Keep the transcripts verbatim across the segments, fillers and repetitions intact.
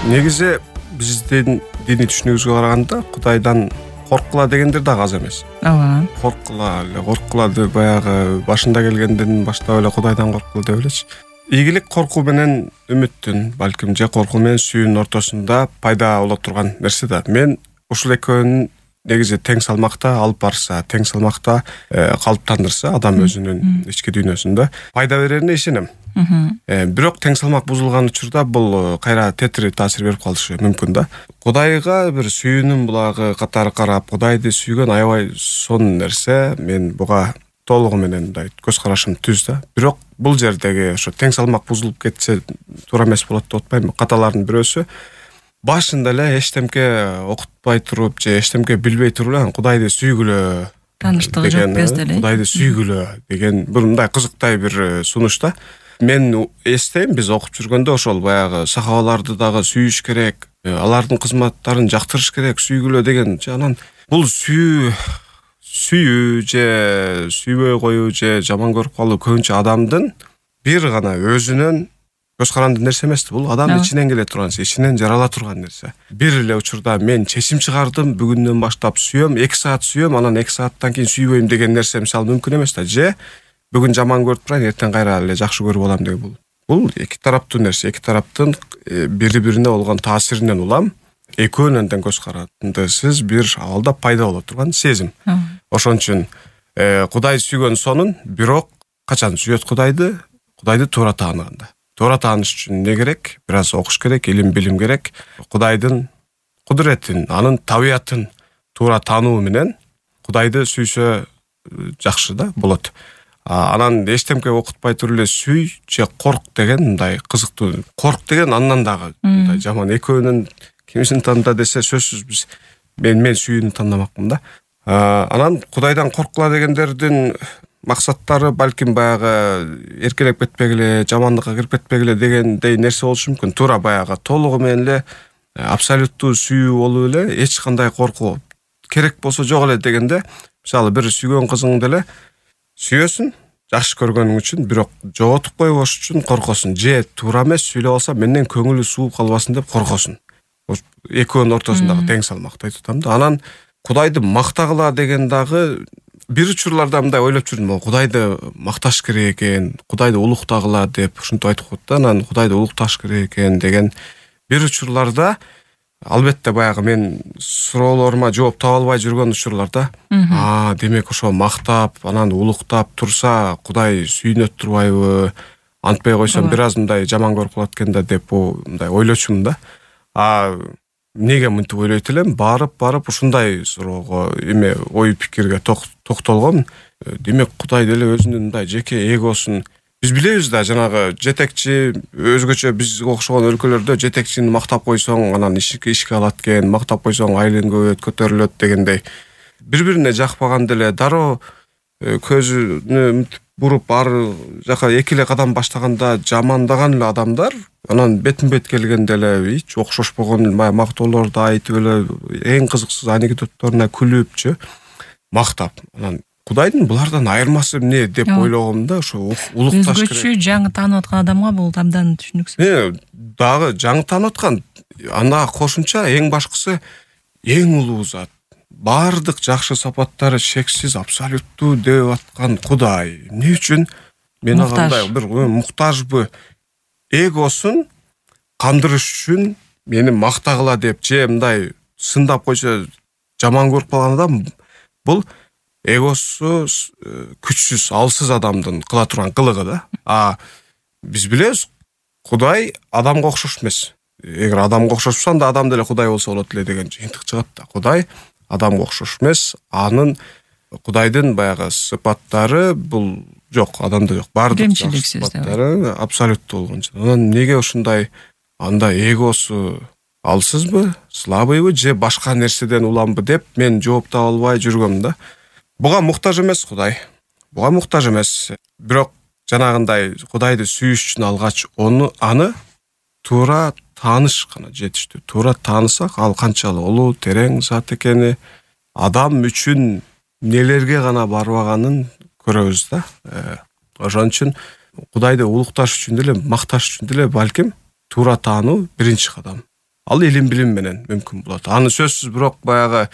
Негизи биздин диний түшүнүгүбүзгө караганда Кудайдан корккула дегендер дагы аз эмес. Ооба. Корккула эле, корккула деп баягы башында келгенден баштап эле Кудайдан корккула деп элечи. Ийгилик коркуу менен үмүттүн, балким же коркуу менен сүйүүнүн ортосунда пайда боло турган нерсе да. Мен ушул экөөнүн негизи тең салмакта алып барса, тең салмакта калыптандырса адам өзүнүн ички дүйнөсүндө пайда берерине ишенем. Бирок тең салмак бузулган учурда бул кайра тетири таасир берип калышы мүмкүн да. Кудайга бир сүйүүнүн булагы катары карап, Кудайды сүйгөн аябай сонун нерсе. Мен буга толугу менен мындай көз карашым түз да. Бирок бул жердеги ошо тең салмак бузулуп кетсе туура эмес болот деп атпайм. Каталардын бирөөсү башында эле эчтемке окутпай туруп же эчтемке билбей туруп эле Кудайды сүйгүлө, тааныштыгы жок кезде эле Кудайды сүйгүлө деген бир мындай кызыктай бир сунуш да. Мен эстейм, биз окуп жүргөндө ошол баягы сахабаларды дагы сүйүш керек, алардын кызматтарын жактырыш керек, сүйгүлө деген. Анан бул сүйүү сүйүү же сүйбөй коюу же жаман көрүп калуу көбүнчө адамдын бир гана өзүнүн көз каранды нерсе эмес. Бул адамдын ичинен келе турган нерсе, ичинен жарала турган нерсе. Бир эле учурда мен чечим чыгардым, бүгүндөн баштап сүйөм, эки саат сүйөм, анан эки сааттан кийин сүйбөйм деген нерсе мисалы мүмкүн эмес да. Же бүгүн жаман көрүп турайын, эртең кайра эле жакшы көрүп алам деген бул. Бул эки тараптуу нерсе, эки тараптын бири-бирине болгон таасиринен улам экөөнүн тең көз карандысыз бир абалда пайда боло турган сезим. Ошон үчүн Кудай сүйгөн сонун, бирок качан сүйөт Кудайды? Кудайды туура тааныганда. Туура тааныш үчүн эмне керек? Бир аз окуш керек, илим билим керек. Кудайдын кудуретин, анын табиятын туура таануу менен Кудайды сүйсө жакшы да болот. Анан эчтемке окутпай туруп эле сүй же корк деген мындай кызыктуу. Корк деген андан дагы мындай жаман. Экөөнүн кимисин танда десе сөзсүз биз мен мен сүйүүнү тандамакмын да. Анан Кудайдан корккула дегендердин максаттары балким баягы эркелеп кетпегиле, жамандыкка кирип кетпегиле дегендей нерсе болушу мүмкүн. Туура баягы толугу менен эле абсолюттуу сүйүү болуп эле эч кандай коркуу керек болсо жок эле дегенде, мисалы бир сүйгөн кызыңды эле сүйөсүн, жакшы көргөнүң үчүн, бирок жоготуп койбош үчүн коркосуң. Же туура эмес сүйлөп алса менден көңүлү сууп калбасын деп коркосуң. Экөөнүн ортосундагы тең салмакты айтып атам да. Анан Кудайды мактагыла деген дагы бир учурларда мындай ойлоп жүрдүм. Кудайды макташ керек экен, Кудайды улуктагыла деп ушинтип айтып коет да. Анан Кудайды улукташ керек экен деген бир учурларда албетте баягы мен суроолорума жооп таба албай жүргөн учурларда, а, демек ошо мактап, анан улуктап турса Кудай сүйүнөт турбайбы? Антпай койсом бир аз мындай жаман көрүп калат экен да деп мындай ойлочумун да. А неге мынтип ойлойт элем? Барып барып ушундай суроого эме ой пикирге токтолгом. Демек Кудай деле өзүнүн мындай жеке эгосун биз билебиз да, жанагы жетекчи өзгөчө бизге окшогон өлкөлөрдө жетекчини мактап койсоң анан ишке ишке алат экен, мактап койсоң айлыгың көбөйөт, көтөрүлөт дегендей. Бири-бирине жакпаган деле дароо көзүнө буруп ар жака эки эле кадам баштаганда жамандаган эле адамдар анан бетин-бет келгенде эле эч окшошпогон мактоолорду айтып эле эң кызыксыз анекдотторуна күлүпчү мактап. Анан Кудайдын булардан айырмасы эмне деп ойлогом да, ошо улукташ керек. Өзгөчө жаңы таанып аткан адамга бул абдан түшүнүксүз. Э, дагы жаңы таанып аткан, анда кошумча эң башкысы эң улуу зат. Бардык жакшы сапаттары шексиз, абсолюттуу деп аткан Кудай. Эмне үчүн мен андай бир муктажбы? Эгосун кандырыш үчүн мени мактагыла деп же мындай сындап койсо жаман көрүп калган адам бул эгосу күчсүз, алсыз адамдын кыла турган кылыгы да. А биз билебиз, Кудай адамга окшош эмес. Эгер адамга окшошсо анда адам деле Кудай болсо болот эле деген жыйынтык чыгат да. Кудай адамга окшош эмес. Анын Кудайдын баягы сыпаттары бул жок, адамда жок. Бардык сыпаттары абсолюттуу болгончо. Анан неге ушундай анда эгосу алсызбы, слабыйбы же башка нерседен уламбы деп мен жооп таба албай жүргөм да. Буга муктаж эмес Кудай. Буга муктаж эмес. Бирок жанагындай Кудайды сүйүш үчүн алгач ону аны туура тааныш гана жетиштүү. Туура таанысак, ал канчалык улуу, терең зат экени, адам үчүн нелерге гана барбаганын көрөбүз да. Ошон үчүн Кудайды улукташ үчүн деле, макташ үчүн деле балким туура таануу биринчи кадам. ал илим билим менен мүмкүн болот. Аны сөзсүз, бирок баягы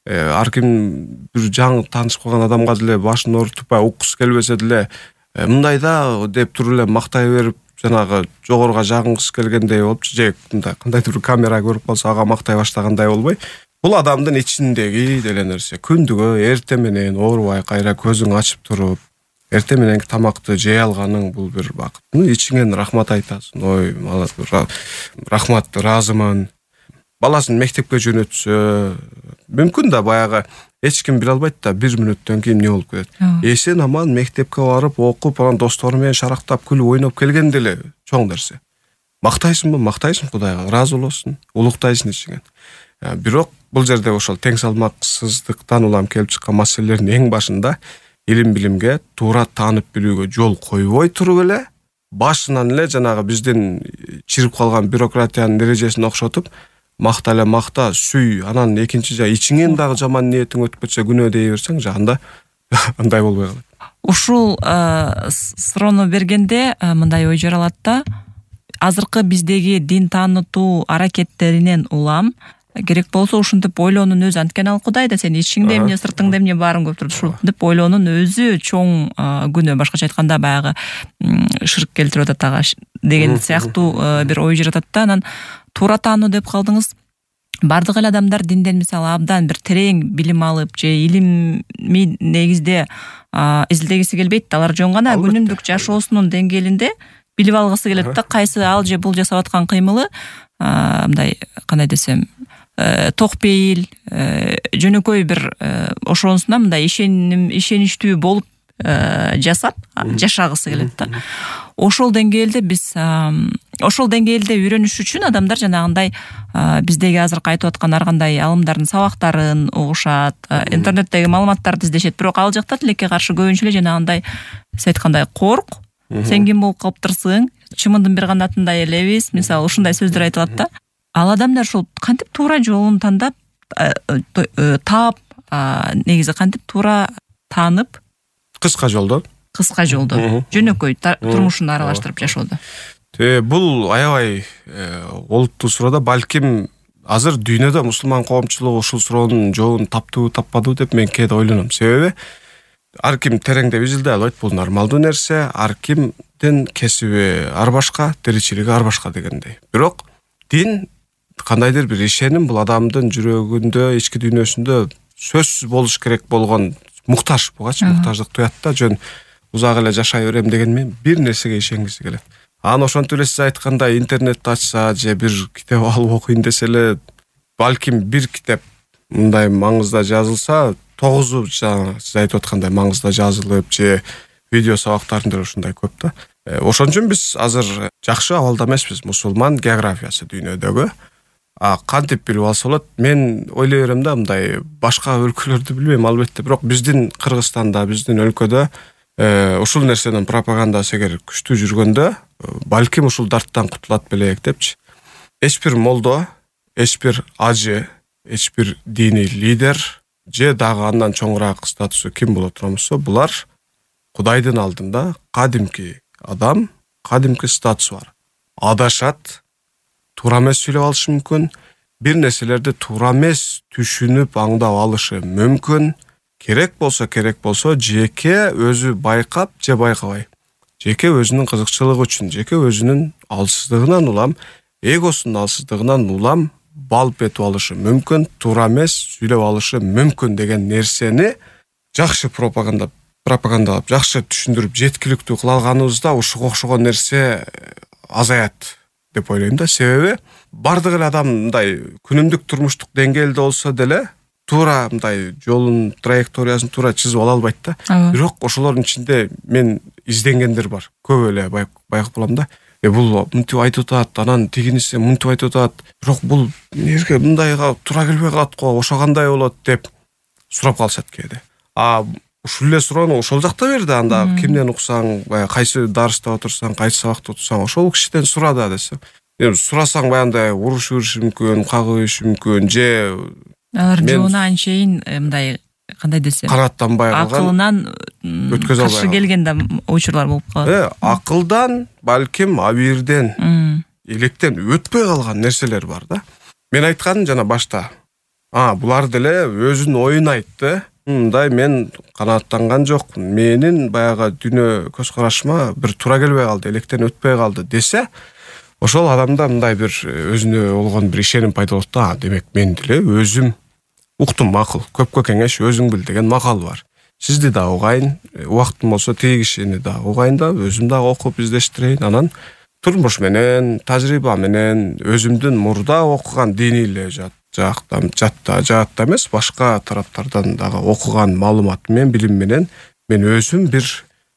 ар ким бир жаңы таанышып калган адамга деле башын оорутуп уккусу келбесе деле мындай да деп туруп эле мактай берип, жанагы жогоруга жагынгысы келгендей болуп, же мындай кандайдыр бир камера көрүп калса ага мактай баштагандай болбой, бул адамдын ичиндеги деле нерсе. Күндүгө эртең менен оорубай кайра көзүң ачып туруп, эртең мененки тамакты жей алганың бул бир бакыт. Ичиңен рахмат айтасың. Ой, рахмат, ыраазымын. Баласын мектепке жөнөтсө, мүмкүн да баягы эч ким биле албайт да бир мүнөттөн кийин эмне болуп кетет. Эсен аман мектепке барып, окуп, анан достору менен шарактап, күлүп, ойноп келген деле чоң нерсе. Мактайсыңбы? Мактайсың Кудайга, ыраазы болосуң, улуктайсың ичиңен. Бирок бул жерде ошол тең салмаксыздыктан улам келип чыккан маселелердин эң башында илим билимге туура таанып билүүгө жол койбой туруп эле, башынан эле жанагы биздин чирип калган бюрократиянын эрежесин окшотуп, макта эле макта, сүй, анан экинчи жа ичиңен дагы жаман ниетиң өтүп кетсе күнөө дей берсең, жагында андай болбой калат. Ушул суроону бергенде мындай ой жаралат да, азыркы биздеги дин таанытуу аракеттеринен улам керек болсо ушинтип ойлоонун өзү, анткени ал Кудай да сен ичиңде эмне, сыртыңда эмне баарын көрүп турат, ушинтип ойлоонун өзү чоң күнөө, башкача айтканда баягы ширк келтирип атат ага деген сыяктуу бир ой жаратат да. Анан туура таануу деп калдыңыз. Бардык эле адамдар динден мисалы абдан бир терең билим алып же илимий негизде изилдегиси келбейт. Алар жөн гана күнүмдүк жашоосунун деңгээлинде билип алгысы келет да, кайсы ал же бул жасап аткан кыймылы мындай, кандай десем, ток пейил, жөнөкөй бир ошонусуна мындай ишеним ишеничтүү болуп жасап жашагысы келет да. Ошол деңгээлде биз ошол деңгээлде үйрөнүш үчүн адамдар жанагындай биздеги азыркы айтып аткан ар кандай алымдардын сабактарын угушат, интернеттеги маалыматтарды издешет. Бирок ал жакта тилекке каршы көбүнчө эле жанагындай сиз айткандай корк, сен ким болуп калыптырсың, чымындын бир канатындай элебиз, мисалы ушундай сөздөр айтылат да. Ал адамдар ушул кантип туура жолун тандап, таап, негизи кантип туура таанып, кыска жолдо, кыска жолдо, жөнөкөй турмушун аралаштырып жашоодо. Бул аябай олуттуу суроо да. Балким азыр дүйнөдө мусулман коомчулугу ушул суроонун жообун таптыбы, таппадыбы деп мен кээде ойлоном. Себеби ар ким тереңдеп изилдей албайт, бул нормалдуу нерсе. Ар кимдин кесиби ар башка, тиричилиги ар башка дегендей. Бирок дин, кандайдыр бир ишеним, бул адамдын жүрөгүндө, ички дүйнөсүндө сөзсүз болуш керек болгон муктаж, бугачы муктаждык туят да. Жөн узак эле жашай берем деген мен бир нерсеге ишенгиси келет. Аны ошентип эле сиз айткандай интернетти ачса же бир китеп алып окуйн десе эле, балким бир китеп мындай маңызда жазылса, тогузу жаңы сиз айтып аткандай маңызда жазылып, же видео сабактарында ушундай көп да. Ошон үчүн биз азыр жакшы абалда эмеспиз мусулман географиясы дүйнөдөгү. А кантип билип алса болот? Мен ойлой берем да, мындай башка өлкөлөрдү билбейм албетте, бирок биздин Кыргызстанда, биздин өлкөдө ушул нерсенин пропагандасы эгер күчтүү жүргөндө, балким ушул дарттан кутулат белек депчи. Эч бир молдо, эч бир ажы, эч бир диний лидер же дагы андан чоңураак статусу ким боло турмусу, булар Кудайдын алдында кадимки адам, кадимки статусу бар. Адашат, туура эмес сүйлөп алышы мүмкүн, бир нерселерди туура эмес түшүнүп, аңдап алышы мүмкүн. Керек болсо, керек болсо жеке өзү байкап же байкабай, жеке өзүнүн кызыкчылыгы үчүн, жеке өзүнүн алсыздыгынан улам, эгосунун алсыздыгынан улам балып этип алышы мүмкүн, туура эмес сүйлөп алышы мүмкүн деген нерсени жакшы пропаганда пропагандалап, жакшы түшүндүрүп, жеткиликтүү кыла алганыбызда ушуга окшогон нерсе азаят деп ойлойм да. Себеби бардык эле адам мындай күнүмдүк турмуштук деңгээлде болсо деле туура мындай жолун, траекториясын туура чызып ала албайт да. Бирок ошолордун ичинде мен изденгендер бар. Көп эле байкап калам да. Э бул мынтип айтып атат, анан тигиниси мынтип айтып атат. Бирок бул эмнеге мындайга туура келбей калат го, ошо кандай болот деп сурап калышат кээде. А ушул эле суроону ошол жакта берди, анда кимден уксаң, баягы кайсы дарста отурсаң, кайсы сабакта отурсаң, ошол кишиден сура да десе. Эми сурасаң баягындай урушуп бериши мүмкүн, кагып бериши мүмкүн, же алар жоона анчейин мындай, кандай десем, канаттанбай калган, акылынан өткөзө албай каршы келген да учурлар болуп калат. Э, акылдан, балким абийирден электен өтпөй калган нерселер бар да. Мен айтканым жана башта. А, булар деле өзүнүн оюн айтты. Мындай мен канааттанган жокмун. Менин баягы дүйнө көз карашыма бир туура келбей калды, электен өтпөй калды десе, ошол адамда мындай бир өзүнө болгон бир ишеним пайда болот да. Демек мен деле өзүм уктум макул. Көпкө кеңеш өзүң бил деген макал бар. Сизди да угайын, убактым болсо тиги кишини да угайын да, өзүм да окуп издештирейин. Анан турмуш менен, тажрыйба менен, өзүмдүн мурда окуган диний эле жактан, жатта, жаатта эмес, башка тараптардан дагы окуган маалымат менен, билим менен мен өзүм бир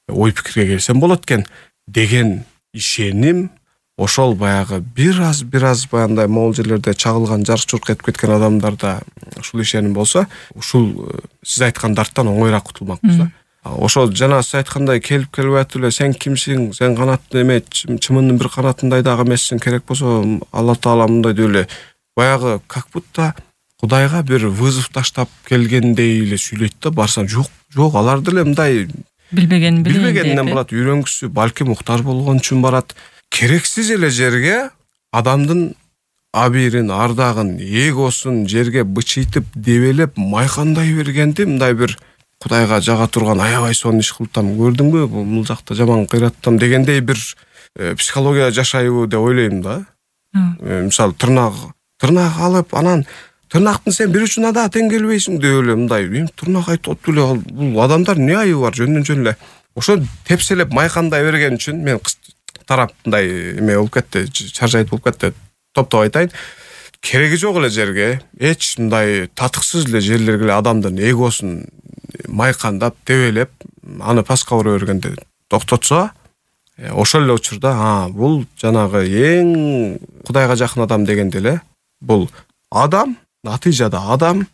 ой пикирге келсем болот экен деген ишеним. Ошол баягы бир аз бир аз баягындай могул жерлерде чагылган, жарк-журк этип кеткен адамдарда ушул ишеним болсо, ушул сиз айткан дарттан оңоюраак кутулмакпыз да. Ошол жана сиз айткандай келип келбей атып эле сен кимсиң, сен канаттын эме, чымындын бир канатындай дагы эмессиң, керек болсо Алла Таала мындай деп эле баягы как будто Кудайга бир вызов таштап келгендей эле сүйлөйт да. Барсаң, жок, жок, алар деле мындай билбеген билбегенден барат, үйрөнгүсү, балки муктар болгон үчүн барат. Керексиз эле жерге адамдын абийирин, ардагын, эгосун жерге бычыйтып, дебелеп, майкандай бергенди мындай бир Кудайга жага турган аябай сонун иш кылтам, көрдүңбү, бул жакта жаман кыйраттам дегендей бир э, психология жашайбы деп ойлойм да. Э, мисалы тырнак, тырнак алып, анан тырнактын сен бир учуна да тең келбейсиң деп эле мындай, эми тырнак айтып атып эле бул адамдар эмне айыбы бар, жөндөн жөн эле. Ошо тепселеп майкандай берген үчүн мен тарап мындай эме болуп кетти, чаржайт болуп кетти. Топтоп айтайын. Кереги жок эле жерге, эч мындай татыксыз эле жерлерге эле адамдын эгосун майкандап, дебелеп, аны паска ура бергенде токтотсо, ошол эле учурда, а, бул жанагы эң Кудайга жакын адам дегенде эле бул адам, натыйжада адам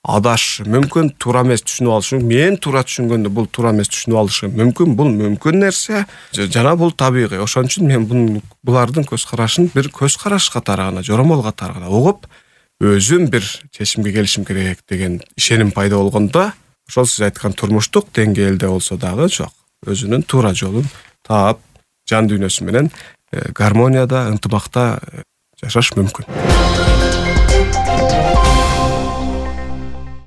адашы мүмкүн, туура эмес түшүнүп алышы, мен туура түшүнгөндө бул туура эмес түшүнүп алышы мүмкүн, бул мүмкүн нерсе, жана бул табигый. Ошон үчүн мен бун булардын көз карашын бир көз караш катары гана, жоромол катары гана угуп, өзүм бир чечимге келишим керек деген ишеним пайда болгондо, ошол сиз айткан турмуштук деңгээлде болсо дагы жок, өзүнүн туура жолун таап, жан дүйнөсү менен гармонияда, ынтымакта жашаш мүмкүн.